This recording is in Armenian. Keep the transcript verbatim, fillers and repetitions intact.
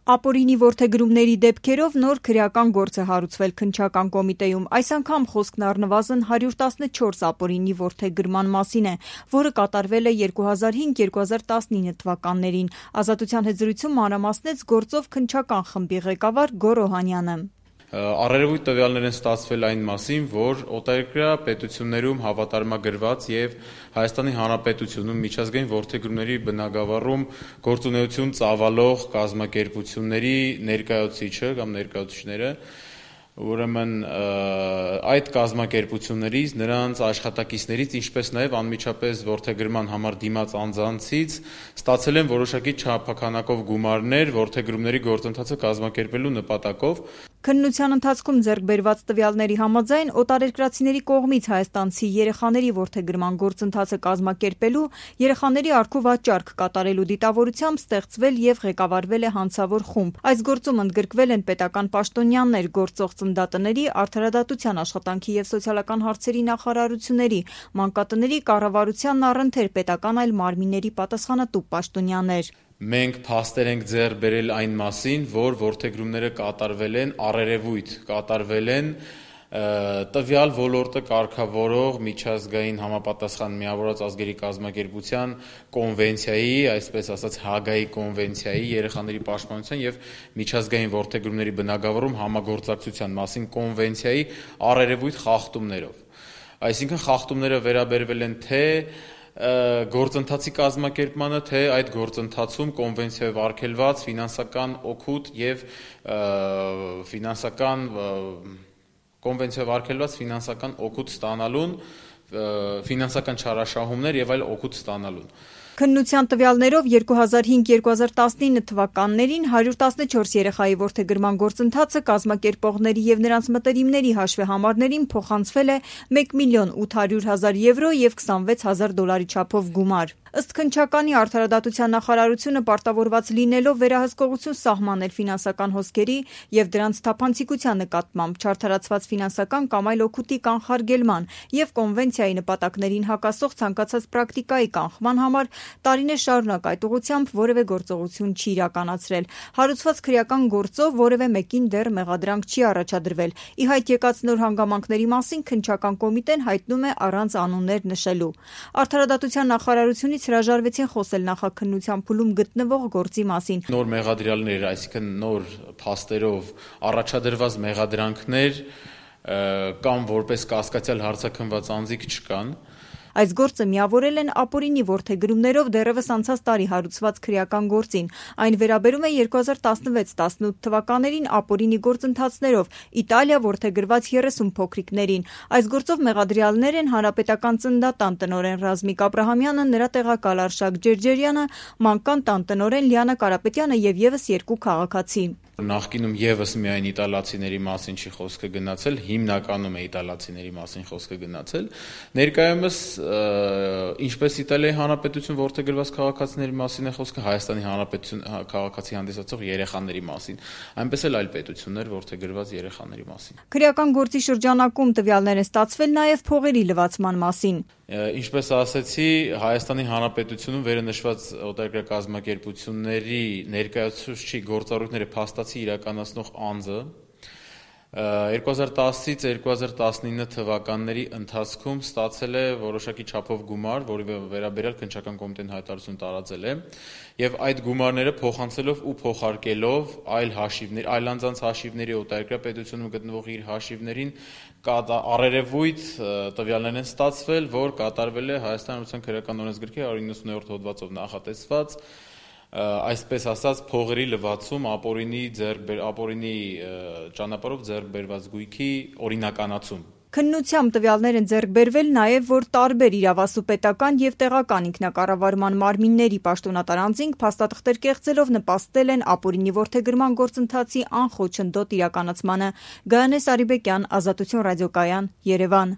Ապօրինի որդեգրումների դեպքերով նոր քրեական գործ է հարուցվել Քննչական կոմիտեում։ Այս անգամ խոսքն առնվազն հարյուր տասնչորս ապօրինի որդեգրման մասին է, որը կատարվել է երկու հազար հինգ - երկու հազար տասնինը թվականներին։ Ազատության հետ զրույցում մանրամասնեց գործով քննչական խմբի ղեկավար Գոռ Օհանյանը։ Առերևույթ տվյալներ են ստացվել այն մասին, որ օտարերկրյա պետություններում հավատարմագրված եւ Հայաստանի Հանրապետությունում միջազգային որդեգրումների բնագավառում գործունեություն ծավալող կազմակերպությունների ներկայացուցիչը կամ ներկայացուցիչները, ուրեմն այդ կազմակերպություններից, նրանց աշխատակիցներից, ինչպես նաև անմիջապես որդեգրման համար դիմաց անձանցից ստացել են որոշակի չափականակով գումարներ որդեգրումների գործընթացը կազմակերպելու նպատակով։ Քննության ընթացքում ձեռք բերված տվյալների համաձայն օտարերկրացիների կողմից հայաստանցի երեխաների որդեգրման գործընթացը կազմակերպելու, երեխաների առքու վաճառք կատարելու դիտավորությամբ ստեղծվել եւ ղեկավարվել է հանցավոր խումբ։ Այս գործում ընդգրկվել են պետական պաշտոնյաներ, գործող ծննդատների, արդարադատության, աշխատանքի եւ սոցիալական հարցերի նախարարությունների, մանկատների կառավարությանն առընթեր պետական այլ մարմինների պատասխանատու պաշտոնյաներ։ Մենք փաստեր ենք ձեռք բերել այն մասին, որ որդեգրումները կատարվել են առերևույթ, կատարվել են տվյալ ոլորտը կարգավորող միջազգային համապատասխան միավորված ազգերի կազմակերպության կոնվենցիայի, այսպես ասած Հագայի կոնվենցիայի, երեխաների պաշտպանության եւ միջազգային որդեգրումների բնագավառում համագործակցության մասին կոնվենցիայի առերևույթ խախտումներով։ Այսինքն խախտումները վերաբերվել են թե գործընթացի կազմակերպմանը, թե այդ գործընթացում կոնվենցիայով արգելված ֆինանսական օգուտ եւ ֆինանսական կոնվենցիայով արգելված ֆինանսական օգուտ ստանալուն, ֆինանսական չարաշահումներ եւ այլ օգուտ ստանալուն։ Քննության տվյալներով երկու հազար հինգ - երկու հազար տասնինը թվականներին հարյուր տասնչորս երեխայի որդեգրման գործընթացը կազմակերպողների եւ նրանց մտերիմների հաշվեհամարներին փոխանցվել է մեկ միլիոն ութ հարյուր հազար եվրո եւ քսանվեց հազար դոլարի չափով գումար։ Ըստ Քննչականի արդարադատության նախարարությունը պարտավորված լինելով վերահսկողություն սահմանել ֆինանսական հոսքերի եւ դրանց թափանցիկության նկատմամբ, չարդարացված ֆինանսական կամ այլ օգուտի կանխարգելման եւ կոնվենցիայի նպատակներին հակասող ցանկացած պրակտիկայի կանխման համար տարիներ շարունակ այդ ուղղությամբ որևէ գործողություն չի իրականացրել։ Հարուցված քրեական գործով որևէ մեկին դեռ մեղադրանք չի առաջադրվել։ Ի հայտ եկած նոր հանգամանքների մասին Քննչական կոմիտեն հայտնում է առանց անուններ նշելու։ Արդարադատության նախարարությունից հրաժարվեցին խոսել նախաքննության փուլում գտնվող գործի մասին։ Նոր մեղադրյալներ, այսինքն նոր փաստերով առաջադրված մեղադրանքներ կամ որպես կասկածյալ հարցաքննված անձիկ չկան։ Այս գործը միավորել են ապօրինի որդեգրումներով դեռևս անցած տարի հարուցված քրեական գործին։ Այն վերաբերում է երկու հազար տասնվեց - տասնութ թվականներին ապօրինի գործընթացներով Իտալիա որդեգրված երեսուն փոքրիկներին։ Այս գործով մեղադրյալներ են հանրապետական ծննդատան տնօրեն Ռազմիկ Աբրահամյանը, նրա տեղակալ Արշակ Ջերջերյանը, մանկան տան տնօրեն Լիանա Կարապետյանը եւ եւս երկու քաղաքացի։ Նախկինում եւս միայն իտալացիների մասին չի խոսքը գնացել, հիմնականում է իտալացիների մասին խոսքը գնացել։ Ներկայումս ինչպես Իտալիայի Հանրապետություն որդեգրված քաղաքացիների մասին է խոսքը, Հայաստանի Հանրապետություն քաղաքացի հանդիսացող երեխաների մասին, այնպես էլ այլ պետություններ որդեգրված երեխաների մասին։ Քրեական գործի շրջանակում տվյալներ են ստացվել նաեւ փողերի լվացման մասին։ Ինչպես ասացի, Հայաստանի Հանրապետությունում վերնշված օտարերկրյա կազմակերպությունների ներկայացուցիչի գործառույթները փաստացի իրականացնող անձը երկու հազար տասից երկու հազար տասնինը թվականների ընթացքում ստացել է որոշակի չափով գումար, որի վերաբերյալ Քննչական կոմիտեն հայտարարություն տարածել է, եւ այդ գումարները փոխանցելով ու փոխարկելով այլ հաշիվներ, այլ անձանց հաշիվների օտարերկրյա պետությունում գտնվող իր հաշիվներին առերևույթ տվյալներ են ստացվել, որ կատարվել է Հայաստանի Հանրապետության քրեական օրենսգրքի հարյուր նվեցուններորդ հոդվածով նախատեսված այսպես ասած փողերի լվացում ապօրինի ապօրինի ճանապարհով ձեռք բերված գույքի օրինականացում։ Քննությամբ տվյալներ են ձեռք բերվել նաև, որ տարբեր իրավասու պետական եւ տեղական ինքնակառավարման մարմինների պաշտոնատար անձինք փաստաթղթեր կեղծելով նպաստել են ապօրինի որդեգրման գործընթացի անխոչնդոտ իրականացմանը։ Գայանե Սարիբեկյան, Ազատություն ռադիոկայան, Երևան։